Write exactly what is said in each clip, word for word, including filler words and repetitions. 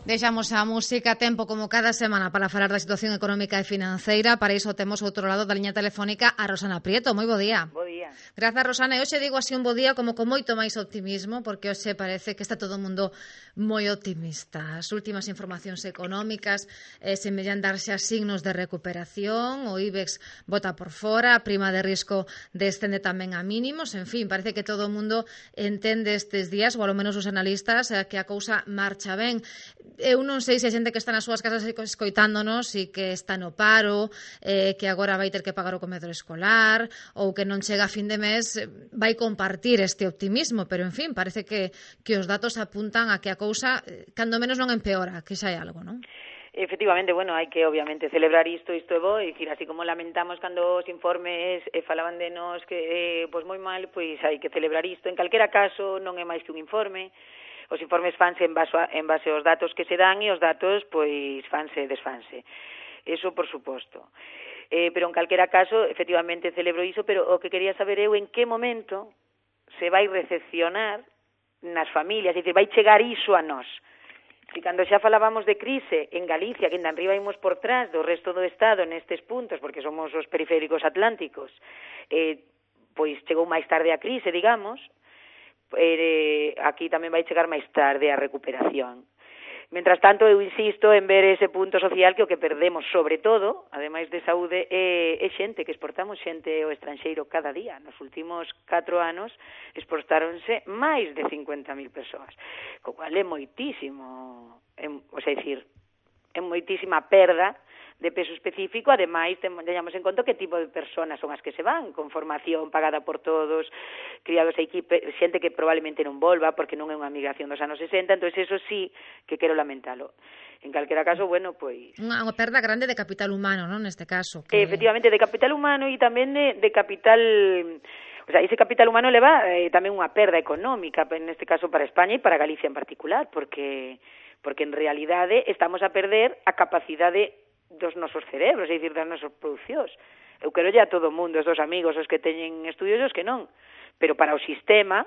Deixamos a música a tempo como cada semana para falar da situación económica e financeira. Para iso temos outro lado da liña telefónica a Rosana Prieto. Moi bo día. Bo día. Grazas, Rosana. E hoxe digo así un bo día como con moito máis optimismo, porque hoxe parece que está todo o mundo moi optimista. As últimas informacións económicas eh, semellan darse a signos de recuperación. O IBEX bota por fora, a prima de risco descende tamén a mínimos. En fin, parece que todo o mundo entende estes días, ou ao menos os analistas, eh, que a cousa marcha ben. Eu non sei se a xente que está nas súas casas escoitándonos e que está no paro, eh, que agora vai ter que pagar o comedor escolar ou que non chega a fin de mes, vai compartir este optimismo, pero en fin, parece que, que os datos apuntan a que a cousa, cando menos non empeora, que xa hai algo, non? Efectivamente, bueno, hai que obviamente celebrar isto, isto é bo, e dicir, así como lamentamos cando os informes eh, falaban de nos que, eh, pois moi mal, pois hai que celebrar isto. En calquera caso, non é máis que un informe. Os informes fanse en base, a, en base aos datos que se dan e os datos, pois, fanse e desfanse. Eso, por suposto. Eh, pero en calquera caso, efectivamente, celebro iso, pero o que quería saber eu en que momento se vai recepcionar nas familias, é dicir, vai chegar iso a nós. E cando xa falábamos de crise en Galicia, que en arriba imos por trás do resto do Estado nestes puntos, porque somos os periféricos atlánticos, eh, pois chegou máis tarde a crise, digamos, eh, aquí tamén vai chegar máis tarde a recuperación. Mentras tanto, eu insisto en ver ese punto social que o que perdemos, sobre todo, ademais de saúde, é, é xente, que exportamos xente ao estranxeiro cada día. Nos últimos catro anos exportáronse máis de cincuenta mil persoas, co cual é moitísimo, é, o sea, decir, é moitísima perda de peso específico. Ademais, teñamos en conta que tipo de personas son as que se van, con formación pagada por todos, criados a equipe, xente que probablemente non volva, porque non é unha migración dos anos sesenta, entón eso sí que quero lamentalo. En calquera caso, bueno, pois... Unha, unha perda grande de capital humano, non, neste caso? Que... Efectivamente, de capital humano e tamén de, de capital... O sea, ese capital humano leva eh, tamén unha perda económica, neste caso para España e para Galicia en particular, porque, porque en realidade estamos a perder a capacidade dos nosos cerebros, é dicir, das nosas producións. Eu quero ya a todo o mundo, os dos amigos, os que teñen estudios e os que non. Pero para o sistema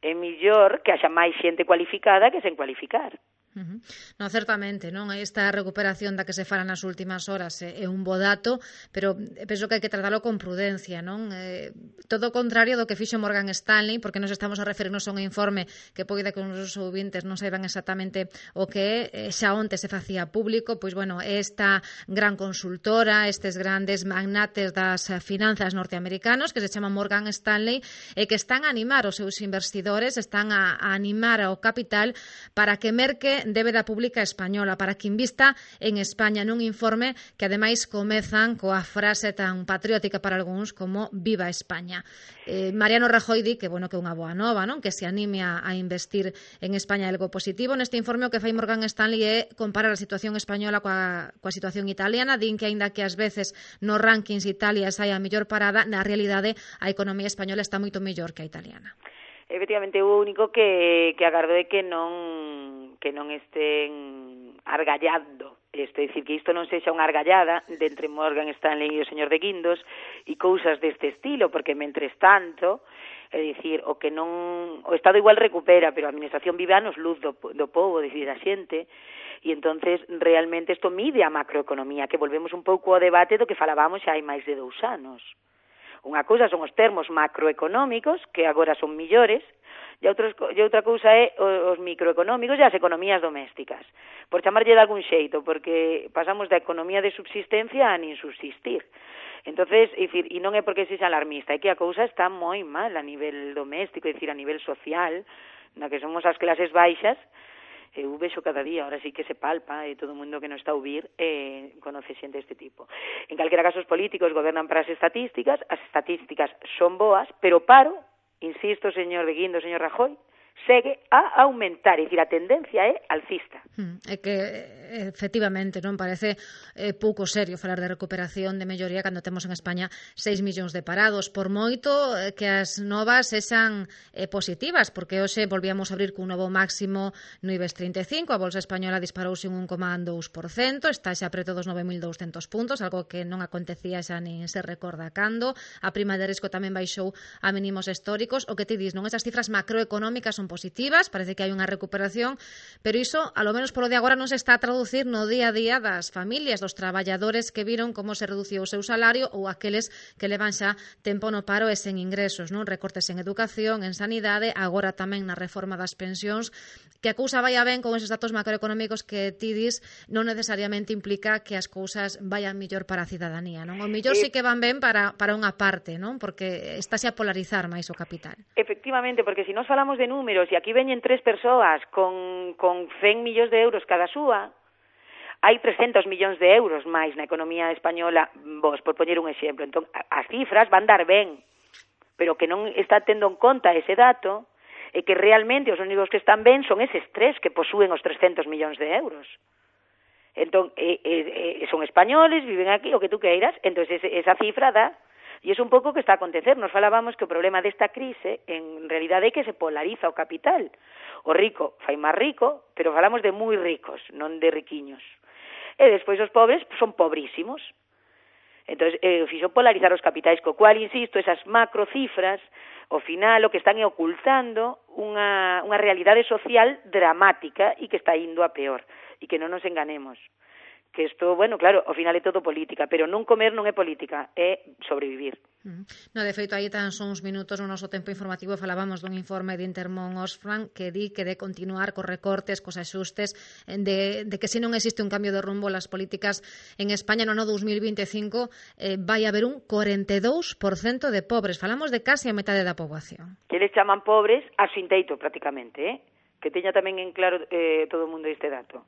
é mellor que haxa máis xente cualificada que sen cualificar. Uh-huh. Non, certamente, non? Esta recuperación da que se fala nas últimas horas é, é un bo dato, pero penso que hai que tratalo con prudencia, non? Eh, todo o contrario do que fixo Morgan Stanley, porque nos estamos a referirnos a un informe que poida que os nosos ouvintes non saiban exactamente o que é, xa onte se facía público, pois, bueno, esta gran consultora, estes grandes magnates das finanzas norteamericanos, que se chama Morgan Stanley, e que están a animar os seus investidores, están a, a animar ao capital para que merque débeda pública española, para que invista en España, nun informe que ademais comezan coa frase tan patriótica para algúns como Viva España. Eh, Mariano Rajoy di que, bueno, que é unha boa nova, non? Que se anime a, a investir en España algo positivo. Neste informe o que fai Morgan Stanley é comparar a situación española coa, coa situación italiana. Din que, aínda que ás veces nos rankings Italia sai a mellor parada, na realidade a economía española está moito mellor que a italiana. Efectivamente, o único que, que agardo é que non que non estén argallando, isto, é dicir, que isto non sexa unha argallada de entre Morgan Stanley e o señor de Guindos e cousas deste estilo, porque mentres tanto, é dicir, o que non o Estado igual recupera, pero a administración vive anos luz do, do povo, é dicir, a xente, e entonces realmente isto mide a macroeconomía, que volvemos un pouco ao debate do que falábamos xa hai máis de dous anos. Unha cousa son os termos macroeconómicos, que agora son millores, e, outros, e outra cousa é os microeconómicos e as economías domésticas, por chamarlle de algún xeito, porque pasamos da economía de subsistencia a nin subsistir. Entonces, é dicir, e non é porque sexa alarmista, é que a cousa está moi mal a nivel doméstico, é dicir, a nivel social, na que somos as clases baixas. Eu vexo cada día, ahora sí que se palpa, e todo o mundo que non está a ouvir eh, conoce xente deste tipo. En calquera caso, os políticos gobernan para as estatísticas, as estatísticas son boas, pero paro, insisto, señor de Guindos, señor Rajoy, segue a aumentar, é dicir, a tendencia é alcista. Hmm, é que, efectivamente, non parece eh, pouco serio falar de recuperación, de melloría, cando temos en España seis millóns de parados, por moito eh, que as novas sexan eh, positivas, porque hoxe volvíamos a abrir cun novo máximo no IBEX trinta e cinco, a Bolsa Española disparouse un un coma dous por cento, está xa preto dos nove mil douscentos puntos, algo que non acontecía xa nin se recorda cando. A prima de risco tamén baixou a mínimos históricos. O que ti dis, non? Esas cifras macroeconómicas son son positivas, parece que hai unha recuperación, pero iso, a lo menos polo de agora, non se está a traducir no día a día das familias, dos traballadores que viron como se reduciu o seu salario ou aqueles que levan xa tempo no paro e sen ingresos, non? Recortes en educación, en sanidade, agora tamén na reforma das pensións, que a cousa vaya ben con esos datos macroeconómicos que ti dis non necesariamente implica que as cousas vayan millor para a cidadanía, non? O millor sí que van ben para, para unha parte, non? Porque estáse a polarizar máis o capital. Efectivamente, porque se si nos falamos de números e aquí veñen tres persoas con, con cen millóns de euros cada súa, hai trescentos millóns de euros máis na economía española, vos, por poñer un exemplo. Entón, as cifras van dar ben, pero que non está tendo en conta ese dato é que realmente os únicos que están ben son eses tres que posúen os trescentos millóns de euros. Entón, eh, eh, son españoles, viven aquí, o que tú queiras, entón esa cifra dá. E é un pouco o que está a acontecer. Nos falábamos que o problema desta crise, en realidade, é que se polariza o capital. O rico fai máis rico, pero falamos de moi ricos, non de riquiños. E despois os pobres son pobrísimos. Entón, eh, fixo polarizar os capitais, co cual, insisto, esas macrocifras, ao final, o que están é ocultando unha, unha realidade social dramática e que está indo a peor. E que non nos enganemos. Que isto, bueno, claro, ao final é todo política, pero non comer non é política, é sobrevivir. Uh-huh. No, de feito, aí tan son uns minutos no noso tempo informativo falábamos dun informe de Intermón Oxfam que di que de continuar cos recortes, cos axustes, de, de que se non existe un cambio de rumbo las políticas en España no ano dos mil veinticinco eh, vai haber un cuarenta e dous por cento de pobres. Falamos de casi a metade da poboación. Que les chaman pobres a sin teito, prácticamente, eh? Que teña tamén en claro eh, todo o mundo este dato.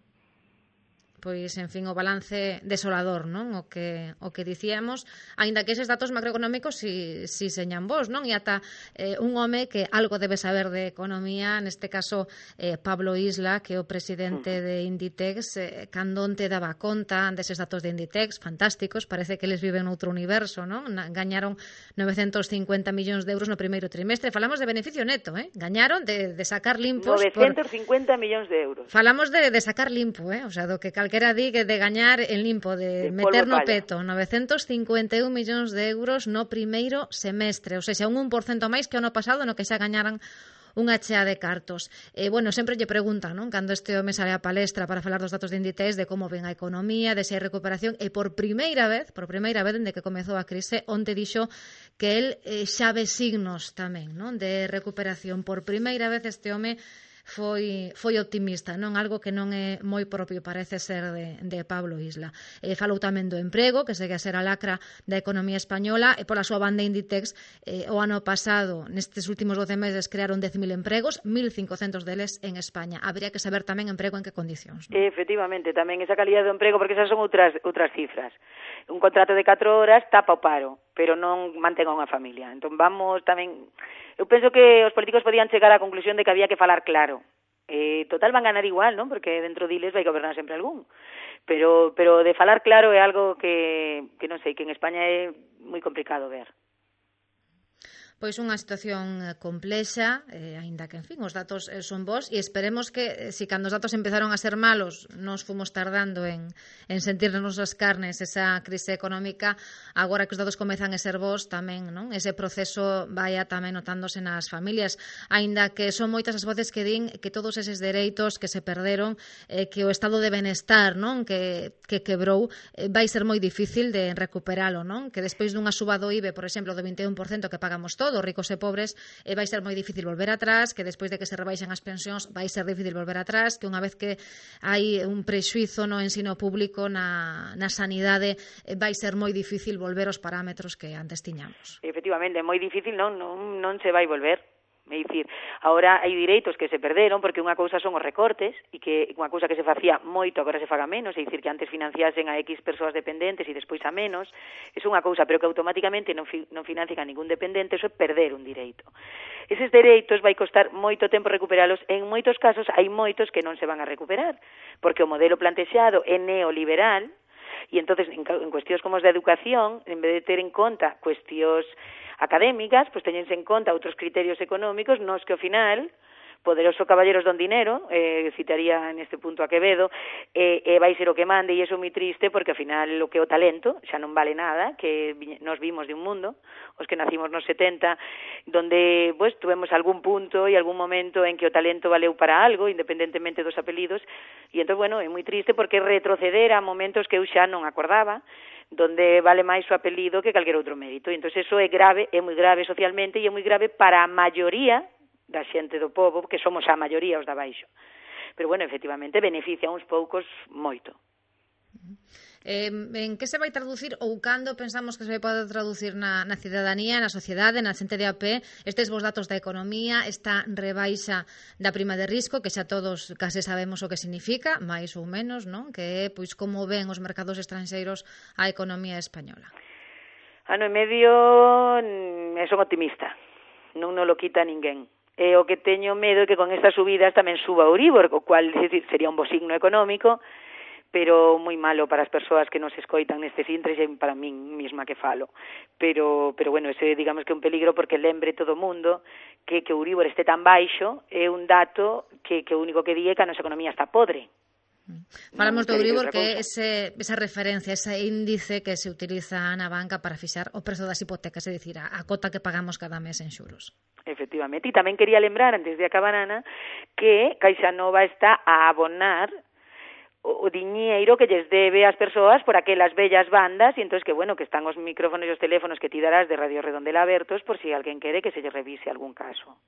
Pois, en fin, o balance desolador, non? O que o que dicíamos, aínda que eses datos macroeconómicos si, si señan vos, non? E ata eh, un home que algo debe saber de economía, neste caso eh, Pablo Isla, que é o presidente de Inditex, eh, cando onte daba conta deses datos de Inditex, fantásticos, parece que eles viven noutro universo, non? Gañaron novecentos cincuenta millóns de euros no primeiro trimestre. Falamos de beneficio neto, eh? Gañaron de, de sacar limpos... novecentos cincuenta por... millóns de euros. Falamos de, de sacar limpo, eh? O sea, do que cal que era di que de gañar en limpo, de, de meter no peto, novecentos cincuenta e un millóns de euros no primeiro semestre, ou seja, un un por cento máis que o ano pasado no que xa gañaran unha chea de cartos. Eh, bueno, sempre lle preguntan, non? Cando este home sale a palestra para falar dos datos de Inditex, de como ven a economía, de se hai recuperación, e por primeira vez, por primeira vez dende que comezou a crise, onte dixo que el eh, xa ve signos tamén, non? De recuperación. Por primeira vez este home foi foi optimista, non? Algo que non é moi propio, parece ser, de, de Pablo Isla. Eh, falou tamén do emprego, que segue a ser a lacra da economía española, e pola súa banda Inditex, eh, o ano pasado, nestes últimos doce meses, crearon dez mil empregos, mil cincocentos deles en España. Habría que saber tamén emprego en que condicións, non? Efectivamente, tamén esa calidad do emprego, porque esas son outras outras cifras. Un contrato de catro horas tapa o paro, pero non mantén a unha familia. Entón vamos tamén... Eu penso que os políticos podían chegar á conclusión de que había que falar claro. Eh, total van ganar igual, non? Porque dentro diles vai gobernar sempre algún. Pero pero de falar claro é algo que, que non sei, que en España é moi complicado ver. Pois unha situación complexa, eh, aínda que, en fin, os datos eh, son bons, e esperemos que, eh, si cando os datos empezaron a ser malos, nos fomos tardando en, en sentirnos as carnes esa crise económica, agora que os datos comezan a ser bons, tamén, non? Ese proceso vaya tamén notándose nas familias, aínda que son moitas as voces que din que todos eses dereitos que se perderon, eh, que o estado de benestar, non? Que, que quebrou, eh, vai ser moi difícil de recuperalo, non? Que despois dunha suba do I B E, por exemplo, do vinte e un por cento que pagamos todos, ricos e pobres, eh, vai ser moi difícil volver atrás, que despois de que se rebaixen as pensións vai ser difícil volver atrás, que unha vez que hai un prexuizo no ensino público, na, na sanidade, eh, vai ser moi difícil volver aos parámetros que antes tiñamos. Efectivamente, moi difícil, non, non, non se vai volver. É dicir, agora hai direitos que se perderon porque unha cousa son os recortes e que unha cousa que se facía moito agora se faga menos, é dicir, que antes financiasen a X persoas dependentes e despois a menos, é unha cousa, pero que automáticamente non, fi, non financian a ningún dependente, eso é perder un direito. Eses dereitos vai costar moito tempo recuperalos, en moitos casos hai moitos que non se van a recuperar, porque o modelo plantexado é neoliberal, e entonces en, en cuestións como as da educación, en vez de ter en conta cuestións académicas, pois teñense en conta outros criterios económicos nos que ao final poderoso caballeros don dinero, eh, citaría en este punto a Quevedo, e eh, eh, vai ser o que mande, e iso moi triste, porque ao final o que é o talento xa non vale nada, que nos vimos de un mundo, os que nacimos nos setenta, donde pues, tuvemos algún punto e algún momento en que o talento valeu para algo, independentemente dos apelidos, e entón, bueno, é moi triste porque retroceder a momentos que eu xa non acordaba, donde vale máis o apelido que calquer outro mérito. E entón, eso é grave, é moi grave socialmente e é moi grave para a maioría da xente do povo, que somos a maioría os da baixo. Pero, bueno, efectivamente, beneficia a uns poucos moito. Eh, en que se vai traducir ou cando pensamos que se vai poder traducir na, na cidadanía, na sociedade, na xente de a pé, estes vos datos da economía, esta rebaixa da prima de risco, que xa todos case sabemos o que significa, máis ou menos, non? Que é, pois, como ven os mercados estranxeiros a economía española? Ano e medio, e son optimista, non nos lo quita ninguén. E o que teño medo é que con estas subidas tamén suba o Euribor, o cual decir, sería un bo signo económico, pero moi malo para as persoas que nos escoitan nestes intres e para min mesma que falo. Pero, pero bueno, ese digamos que é un peligro porque lembre todo o mundo que que o Euribor este tan baixo é un dato que, que o único que di é que a nosa economía está podre. Falamos do Euribor, que é ese, esa referencia, ese índice que se utiliza na banca para fixar o prezo das hipotecas, é dicir, a, a cota que pagamos cada mes en xuros. Efectivamente, e tamén quería lembrar, antes de acabar, Ana, que Caixa Nova está a abonar o diñeiro que lles debe ás persoas por aquelas bellas bandas, e entón que, bueno, que están os micrófonos e os teléfonos que ti darás de Radio Redondela abertos por si alguén quere que se lle revise algún caso.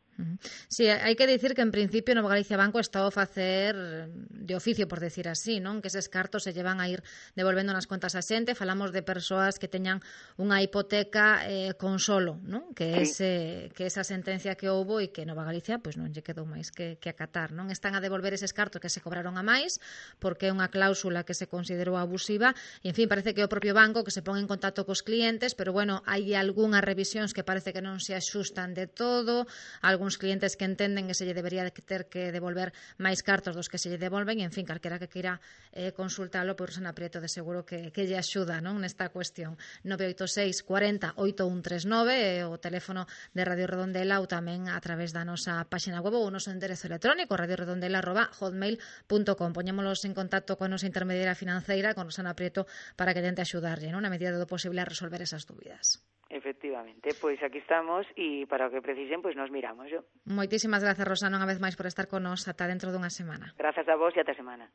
Sí, hai que dicir que en principio Novo Galicia Banco está a facer de oficio, por decir así, non? Que eses cartos se llevan a ir devolvendo nas contas a xente. Falamos de persoas que teñan unha hipoteca eh, con solo, non? Que, sí. ese, que esa sentencia que houbo e que Nova Galicia pois non lle quedou máis que, que acatar, non? Están a devolver eses cartos que se cobraron a máis porque é unha cláusula que se considerou abusiva e, en fin, parece que é o propio banco que se pon en contacto cos clientes, pero, bueno, hai algunhas revisións que parece que non se axustan de todo, algúns clientes que entenden que se lle debería ter que devolver máis cartos dos que se lle devolven e, en fin, calquera que queira eh, consultalo, por Rosana Prieto de seguro que, que lle axuda, non, nesta cuestión. nove oito seis, cuarenta, oito un tres nove é o teléfono de Radio Redondela ou tamén a través da nosa páxina web ou o noso enderezo electrónico radioredondela arroba hotmail punto com. Poñémolos en contacto con a nosa intermediaria financeira, con Rosana Prieto, para que tente axudarlle, non, na medida do posible a resolver esas dúbidas. Efectivamente, pois aquí estamos e para o que precisen, pois nos miramos. Yo. Moitísimas grazas, Rosana, unha vez máis por estar con nos ata dentro dunha semana. Grazas a vos e ata semana.